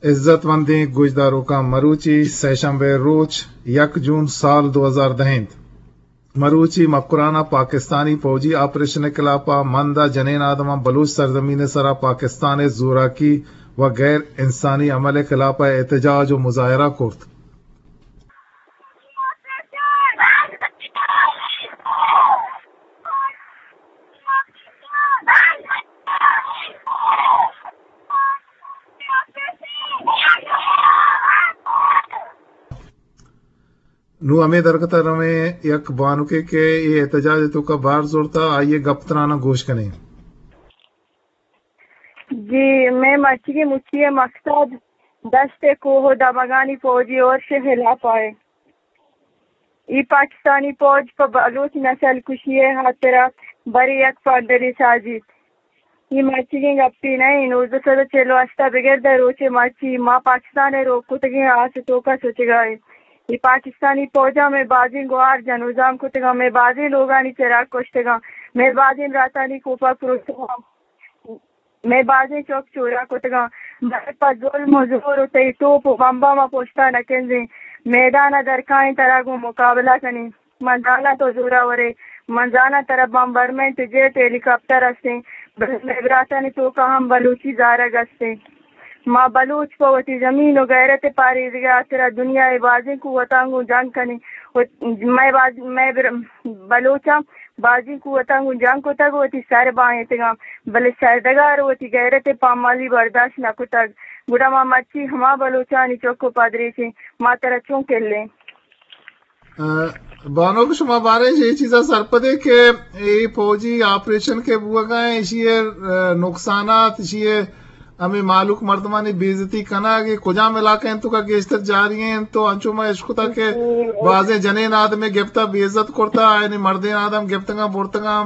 عزت مندیں گوشداروکاں، مروچی سئے شنبے روچ، یک جون سال دو ہزار دہ انت۔ مروچی مکران ءَ پاکستانی پوجی آپریشن ءِ خلاف ءَ مند ءَ جنین آدماں بلوچ سرزمین ءِ سرا پاکستان ءِ زوراکی و غیر انسانی عمل ءِ خلاف ءَ احتجاج و مظاہرہ کرت۔ نوں ہمے درگت ءَ رویں یک بانکے کہ اے احتجاج ءِ توکا بہر زرتہ، آئی ءِ گپ تراناں گوش کنیں۔ جی، مئے مرچیگیں مچی ءِ مقصد دشت ءِ کوہ ءُ دمگانی پوجی ارش ءِ ہلاپ ءَ اے۔ اے پاکستانی پوج پہ بلوچ نسل کشی ءِ ہاترا برے یک پندلے سازیت۔ اے مرچیگیں گپے نہ انت، نوزدہ سد ءُ چل ءُ ہشت ءَ بگر داں روچے مرچی ما پاکستان ءِ روک کتگیں آس ءِ توکا سوچگا ایں۔ اے پاکستانی پوجاں مئے بازیں گوہار جنوزام کتگاں، مئے بازیں لوگانی چراگ کشتگاں، مئے بازیں براتانی کوپگ پروشتگاں۔ مئے بازیں چک چورہ کتگاں، بلے پہ ظلم ءُ زور ءُ تئی توپ ءُ بمباں ما پشتا نہ کنزیں۔ میدان ءَ درکائیں ترا گوں مقابلہ کنیں۔ من زاناں تو زورآورے، من زاناں ترا بمبرمنٹ، جیٹ، ہیلی کاپٹر ہستیں، بلے مئے براتانی توکا ہم بلوچی زارگ ہستیں۔ ما بلوچ پہ وتی زمین ءُ غیرت ءِ پاریزگ ءِ ہاترا دنیا ءِ بازیں قوتاں گوں جنگ کنیں۔ و مئے باز، مئے بر-، بلوچاں بازیں قوتاں گوں جنگ کتگ ءُ وتی سر بانیتگاں، بلے سرڈگار ءَ وتی غیرت ءِ پامالی برداشت نہ کتگ۔ گڑا ما مرچی ہما بلوچانی چک ءُ پدریچیں، ما ترا چون کلیں؟ ءَ، بانک، شما باریں اے چیزا سرپدے کہ اے پوجی آپریشن کہ بوگا ایں، ایشی ءِ، ءَ، نقصانات، ایشی ءِ ہمے مہلوک مردمانی بے عزتی کنگ، اے کجام علاقہ انت توکا گیشتر جاری انت؟ تو انچو ما اشکتا کہ بازیں جنین آدمے گپتا بے عزت کرتا، یعنی مردین آدم گپتگاں برتگاں،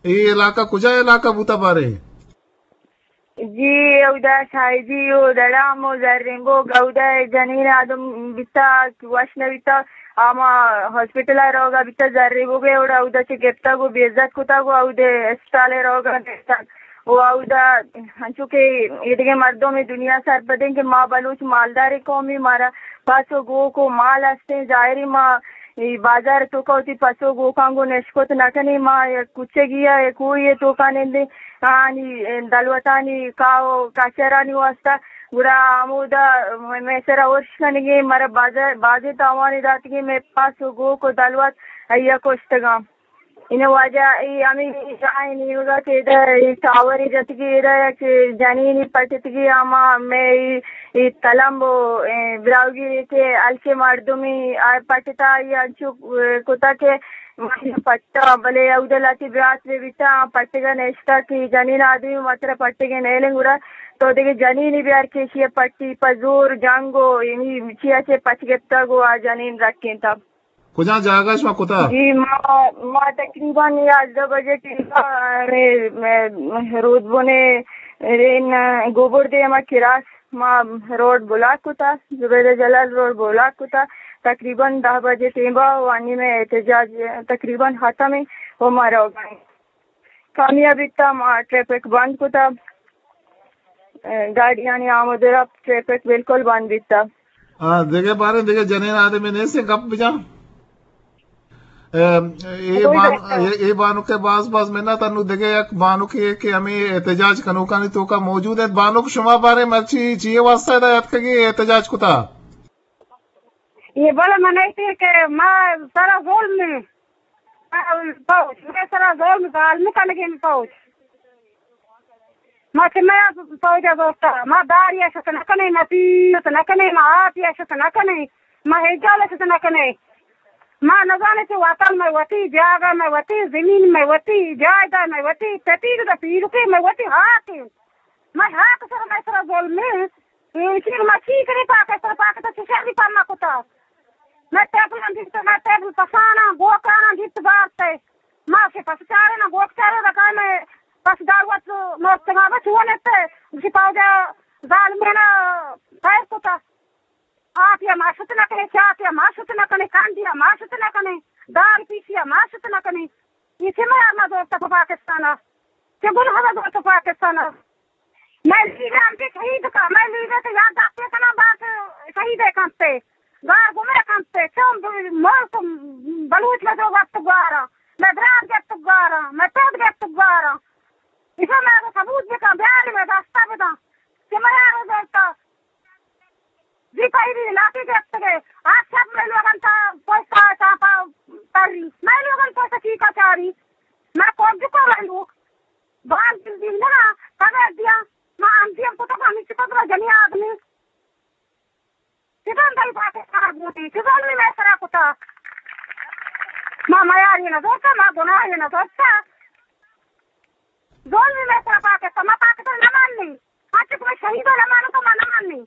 اے علاقہ کجا علاقہ بوتا بارے؟ جی، اودا شاہجی و دڑام و زرنگو گودا جنین آدم بیتا کہ وش نہ بیتا، آما ہاسپٹل ءَ روگا بیتا، زرنگو گے اودا، اودا چہ گپتگ و بے عزت کتگ و اودے اسپتال ءَ روگا گپتگ و اودا انچو کہ ایدگہ مردم دنیا سرپدیں کہ ما بلوچ مالداریں قومی، مارا پس و گوک و مال ہستیں، ظاہری ما اے بازار توکا وتی پس و گوکاں گوں نشکت نہ کنیں، ما یک کوچگی ءَ، یک کوہی ءِ توکا نندیں، آنی دلوتانی کاہ و کچرانی واسطہ، گڑا ہمودا مئے سرا ارش کنگیں، مارا بازار، بازیں تاوانے داتگیں، مئے پس و گوک و دلوت آئیا کشتگاں۔ اناں واجہ اے ہمے راہ ءِ نیمگا کہ ادا اے ٹاورے جتگی، ادا یک جنینے پٹتگی، ہما مئے اے، اے تلمب و اے براہوئی ریٹے ہلکے مردمے آ پٹتا، آئی انچو کتا کہ من پٹا، بلے اود ءَ لہتے برات بہ بیتا، آ پٹگا نشتا کہ جنین آدمی ما ترا پٹگے نیلیں، گڑا تو دگہ جنینے بیار کہ ایشی ءَ پٹی، پہ زور جنگ و یعنی چیا چہ پچ گپتگ و آ جنین رکینتگ۔ کجام جاگہ شما کتا؟ جی، ما، ما تقریباً یازدہ بجے ٹیم ءَ ہمے، مئے، مئے رودبنے رین گوبر دیما کراس ما روڈ بلاک کتا، زبیدہ جلال روڈ بلاک کتا۔ تقریباً دہ بجے ٹیم ءَ و انی مئے احتجاج تقریباً ختم ایں و ما روگا ایں۔ کامیاب بیتا، ما ٹریفک بند کتا، گاڑیانی آمد و رفت، ٹریفک بالکل بند بیتا۔ آ، دگہ باریں دگہ جنین آدمے نیست گپ بجاں؟ اے، اے بان-، اے، اے بانک ءِ باز باز منت۔ انو دگہ یک بانکے کہ ہمے احتجاج کنوکانی توکا موجود انت۔ بانک، شما باریں مرچی چیے واسطہ ادا اتکگے احتجاج کتا؟ اے بلے من ایتے کہ ما سرا ظلم ایں۔ ما پوج، مئے سرا ظلم ظالم کنگیں پوج۔ ما چہ مئے پوج ءَ زرتا، ما داری ءَ شت نہ کنیں، ما پیت نہ کنیں، ما آپی ءَ شت نہ کنیں، ما ہچ جال ءَ شت نہ کنیں۔ ما نزانیں چہ وطن مئے وتی، جاگہ مئے وتی، زمین مئے وتی، جائیداد مئے وتی، تپیگ دا پیلکے مئے وتی ہاک انت۔ مئے ہاک سر مئے سرا ظلم انت۔ انچیں ما چی کنیں پاکستان، پاکستان چہ شری پما کتا۔ مئے ٹیبل ہم دیت، مئے ٹیبل پساناں، گوکاناں دیت بارتے۔ نہ کنی۔ اے چہ میار نہ زورت پہ پاکستان ءَ، چہ گناہ نہ زورت پاکستان ءَ۔ مئے لیڈر ہم کہ شہید کا، مئے لیڈر کہ یاد داشتے کنا باز شہید کنتے، گار گمے کنتے، چون ملک بلوچ مئے جو وقت گوارا، مئے برات گپت گوارا، مئے پود گپت گوارا۔ ایشاں مئے ثبوت بکن، بیاری مئے دستا بدن کہ میار زورتا۔ جی پہلی لاٹھی گپتگے، آ شپ مئے لوگن تا پوستا چاپا تری، مئے لوگن پوستا چیکا چاری، مئے کوجکو رندوک، بان دل دل نہ، خبر دیا، ما ہم دیم کتو ہمی چکو جنی آدمی۔ چیزان دل پاکستان بوتی، چیزان می مئے سرا کتا۔ ما میاری نہ زورتا، ما گناہی نہ زورتا۔ ظلم مئے سرا پاکستان، ما پاکستان نہ ماننی۔ ہنچو کہ مئے شہید نہ مانو تو ما نہ ماننی۔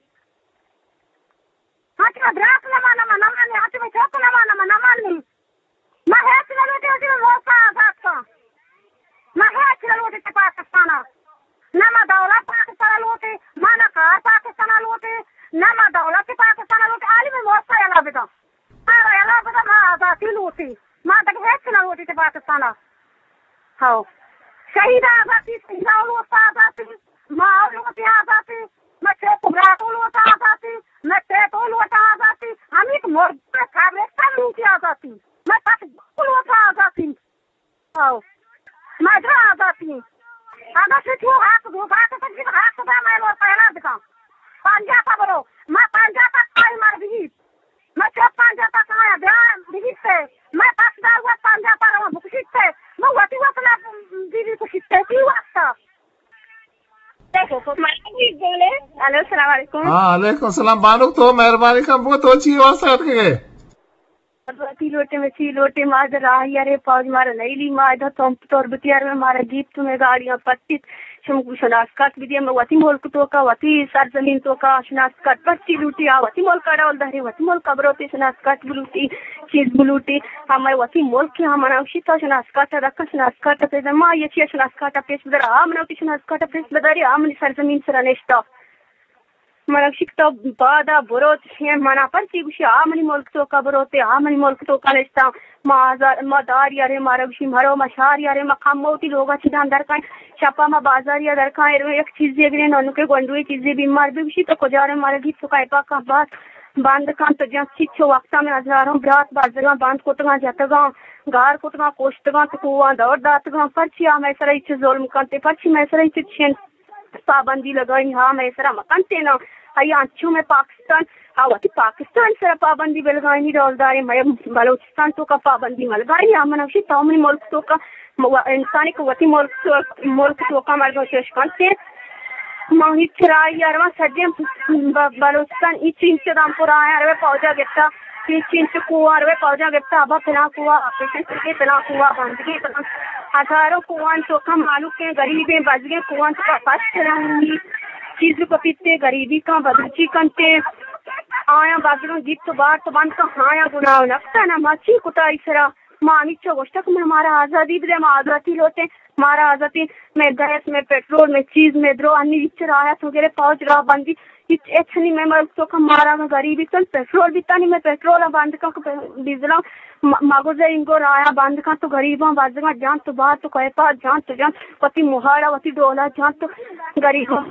ہنچو کہ مئے برات نہ مانو ما نہ ماننی۔ ہنچو کہ مئے چک نہ مانو ما نہ ماننی۔ ما ہچ نہ لوٹی، ہنچو کہ مئے ملک آزاد کن۔ ما ہچ نہ لوٹی تہ پاکستان۔ نہ ما دولت پاکستان لوٹی، ما نہ کار پاکستان لوٹی، نہ ما دولت پاکستان لوٹی۔ عالمی ملک یلا بدن۔ مارا یلا بدن، ما آزاتی لوٹی۔ ما دگہ ہچ نہ لوٹی تہ پاکستان ءَ۔ ہو۔ شہید آزاتی، شہید لوٹ آزاتی، ما لوٹی آزاتی، ما چوک براتو لوٹ آزاتی، ما چیتو لوٹ آزاتی، ہمیں مرد قبرستان لوٹی آزاتی، ما پس لوٹ آزاتی۔ او۔ ما جو آزاتی۔ اگاں شی تو حق دو، حق تو جی حق دا، مئے لوگ پیدا بکن۔ پنجاب ءَ برو۔ ما پنجاب ءَ کائی مر بگیت۔ ما چو پنجاب ءَ کایا بیا بگیت۔ ما پس دار وقت پنجاب ءَ رو بکشیت۔ ما وتی وطن ءَ بی بی کشیت۔ تی واسطہ۔ دیکھو، کو مر بگیت بولے۔ الو، السلام علیکم۔ ہاں، علیکم السلام۔ بانک تو مہربانی کن بو، تو چی واسطہ اتکگے؟ وتی لوٹے، مئے چی لوٹے، ما در راہ یارے، پوج مارا نیلی، ما ادا تمپ تربتی یار، مارا گیپت، مئے گاڑیاں پٹیت، شم شناس کارت بدیا، مئے وتی ملک توکا، وتی سرزمین توکا شناس کارت پرچی لوٹی، آ وتی ملک ڈول داری، وتی ملک بروتی شناس کارت بلوٹی، چیز بلوٹی، ہمے وتی ملک ہم منا گوشی تا شناس کارت دکا، شناس کارت پیدا، ما یہ چی شناس کارت پیش بدر، آ منا گوشی شناس کارت پیش بداری، آ منی سرزمین سرا نشتا۔ من گوشی کہ تو بادا برو، چشیں منا پرچی گوشی، آ منی ملک توکا بروتے، آ منی ملک توکا نشتاں۔ ما آزار، ما دار یارے، مارا گوشی مرو، ما شار یارے، ما کم وتی لوگا چیداں درکائیں۔ شپا ما بازاریا درکائیں، رو یک چیزے گریں، ننکے گونڈوے چیزے بیمار بی گوشی تو کجا رے، مارا گیت تو کائے پاکاں بات بند کن تو جان چیچو وقتا میں ہزاروں برات بازگاں بند کتگاں جتگاں، گار کتگاں کوشتگاں تو کوان دور داتگاں، پرچی آ مئے سرا ہچ ظلم کنتے، پرچی مئے سرا ہچ چین پابندی لگائینی، ہا مئے سرا مکنتے نا۔ آئی انچو مئے پاکستان، ہا وتی پاکستان سرا پابندی بلگائینی، ڈولداریں مئے بلوچستان توکا پابندی ملگائینی۔ ہا من گوشی تو منی ملک توکا م-، انسانی کہ وتی ملک تو-، ملک توکا مردم چش کنتے۔ ما ہچ راہی ارواں سجیں ب-، بلوچستان ای چینچ دام پورا آیا روے پوجا گپتا۔ چینچ چینچ کوہاں روے پوجاں گپتا، ابا پلاں کوہ آپریشن کتگے، پلاں کوہ بندگے، پلاں ہزاروں کوہاں توکا مالوکیں غریبیں بزگیں کوہاں توکا پس چلانی چیز کپیتے، غریبی کاں بدوچی کنتے، آیاں بزگاں گیت و بارت بند کن، آیاں گناہ نفتا نا ما چی کتا ای سرا؟ ما ہمیچو گوشتا کہ مارا آزادی بدے، ما آزادی لوٹیں، مارا آزادی، مئے گیس، مئے پٹرول، مئے چیز، مئے درو، انی ہچ راہ تو گرے، پوج راہ بندی، ہچ، ہچ نی مئے ملک توکا مارا غریبی کن، پٹرول بیتانی مئے پٹرول بند کن، ڈیزل م-، مگوزے انگو رایا بند کن تو غریباں بزگاں جان تو بار تو کیپا جان تو جان وتی مہاڑا وتی ڈولا جان تو غریباں